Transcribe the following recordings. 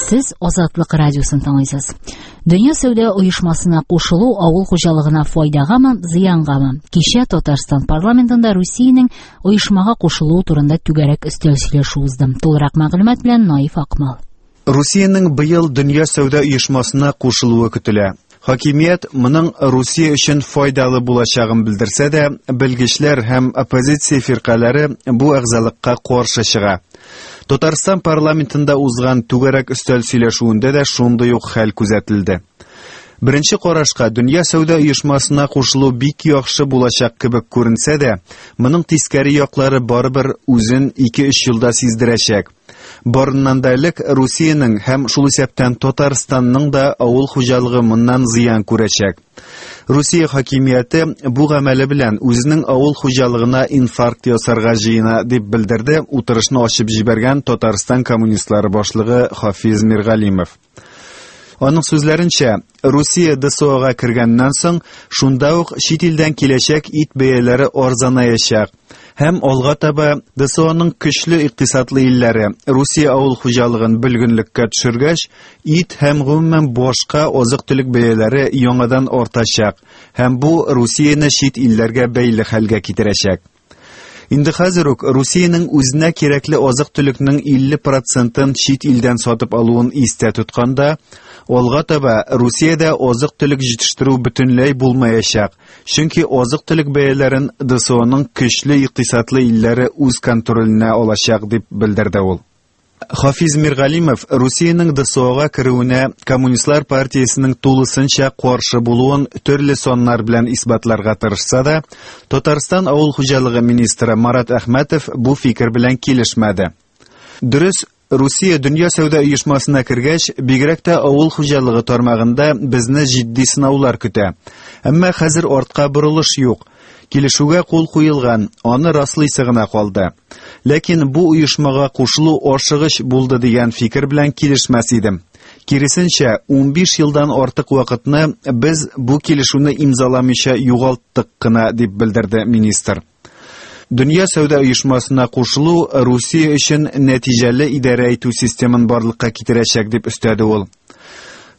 Сез Азатлык радиосын тыңлыйсыз. Дөнья сәүдә оешмасына кушылу авыл хуҗалыгына файдагамы, зыянгамы? Кичә Татарстан парламентында Русиянең оешмага кушылуы турында түгәрәк өстәл сөйләшү узды. Тулырак мәгълүмат белән Наиф Акмал. Русиянең быел Дөнья сәүдә оешмасына кушылуы көтелә. Хакимият моның Русия өчен файдалы булачагын белдерсә дә, белгечләр һәм оппозиция фиркаләре бу әгъзалыкка каршы чыга. Татарстан парламентында узган түгәрәк өстәл сөйләшүендә дә шундый ук хәл күзәтелде. Беренче карашка Дөнья сәүдә оешмасына кушылу бик яхшы булачак кебек күренсә дә, моның тискәре яклары барыбер үзен 2-3 елда сиздерәчәк. Барыннан да элек Русиянең һәм шул исәптән Татарстанның да авыл хуҗалыгы моннан зыян күрәчәк. Русия хакимияте бу гамәле белән үзенең авыл хуҗалыгына инфаркт ясарга җыена, дип белдерде утырышны ачып җибәргән Татарстан коммунистлары башлыгы Хафиз Миргалимов. Аның сүзләренчә, Русия ДСОга кергәннән соң, шунда ук чит илдән киләчәк ит бәяләре арзанаячак. Һәм алга таба ДСОның көчле икътисадлы илләре Русия авыл хуҗалыгын бөлгенлеккә төшергәч, ит һәм гомумән башка азык-төлек бәяләре яңадан артачак һәм бу Русияне чит илләргә бәйле хәлгә китерәчәк. Инде хәзер үк Русиянең үзенә кирәкле азык-төлекнең 50 процентын чит илдән сатып алуын истә тотканда, алга таба Русиядә азык-төлек җитештерү бөтенләй булмаячак, чөнки азык-төлек бәяләрен ДСОның көчле икътисадлы илләре үз контроленә алачак, дип белдерде ул. Хафиз Миргалимов Русиянең ДСОга керүенә Коммунистлар партиясенең тулысынча каршы булуын төрле саннар белән исбатларга тырышса да, Татарстан авыл хуҗалыгы министры Марат Әхмәтов бу фикер белән килешмәде. Дөрес, Русия Дөнья сәүдә оешмасына кергәч, бигрәк тә авыл хуҗалыгы тармагында безне җитди сынаулар көтә. Әмма хәзер артка борылыш юк. Килешүгә кул куелган, аны раслыйсы гына калды. Ләкин бу оешмага кушылу ашыгыч булды дигән фикер белән килешмәс идем. Киресенчә, 15 елдан артык вакытны без бу килешүне имзаламыйча югалттык кына, дип белдерде министр. Дөнья сәүдә оешмасына кушылу Русия өчен нәтиҗәле идарә итү системын барлыкка китерәчәк, дип өстәде ул.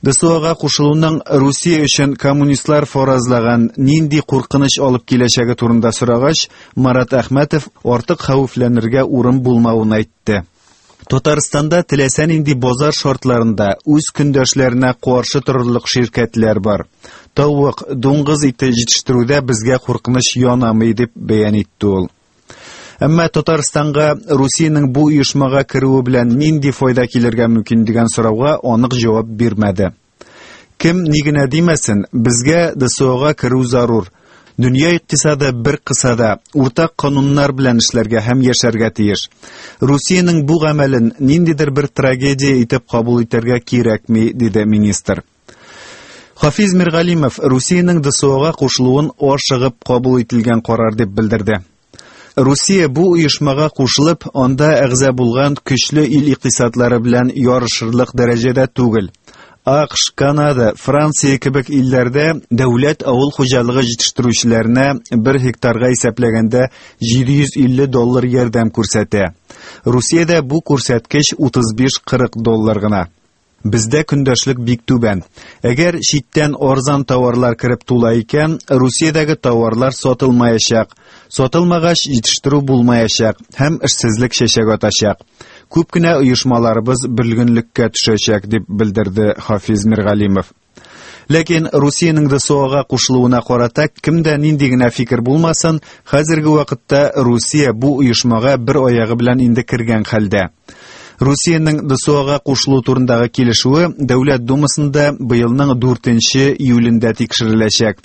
ДСОга кушылуның Русия өчен коммунистлар фаразлаган нинди куркыныч алып киләчәге турында сорагач, Марат Әхмәтов артык хәвефләнергә урын булмавын әйтте. Татарстанда теләсә нинди базар шартларында үз көндәшләренә каршы торырлык ширкәтләр бар. Тавык, дуңгыз ите җитештерүдә безгә куркыныч янамый, дип бәян итте ул. Әмма Татарстанга Русиянең бу оешмага керүе белән нинди файда килергә мөмкин дигән сорауга анык җавап бирмәде. Кем ни генә димәсен, безгә ДСОга керү зарур. Дөнья икътисады бер кысада, уртак кануннар белән эшләргә һәм яшәргә тиеш. Русиянең бу гамәлен ниндидер бер трагедия итеп кабул итәргә кирәкми, диде министр. Хафиз Миргалимов Русиянең ДСОга кушылуын ашыгып кабул ителгән карар дип белдерде. Русия бу оешмага кушылып, анда әгъза булган көчле ил икътисадлары белән ярышырлык дәрәҗәдә түгел. АКШ, Канада, Франция кебек илләрдә дәүләт авыл хуҗалыгы җитештерүчеләренә бер гектарга исәпләгәндә 750 доллар ярдәм күрсәтә. Русиядә бу күрсәткеч 35-40 доллар гына. Бездә көндәшлек бик түбән. Әгәр читтән арзан товарлар кереп тула икән, Русиядәге товарлар сатылмаячак. Сатылмагач, җитештерү булмаячак һәм эшсезлек чәчәк атачак. Күп кенә оешмаларыбыз бөлгенлеккә төшәчәк, дип белдерде Хафиз Миргалимов. Ләкин Русиянең ДСОга кушылуына карата кемдә нинди генә фикер булмасын, хәзерге вакытта Русия бу оешмага бер аягы белән инде кергән хәлдә. Русиянең ДСОга кушылу турындагы килешүе Дәүләт Думасында быелның 4 июлендә тикшереләчәк.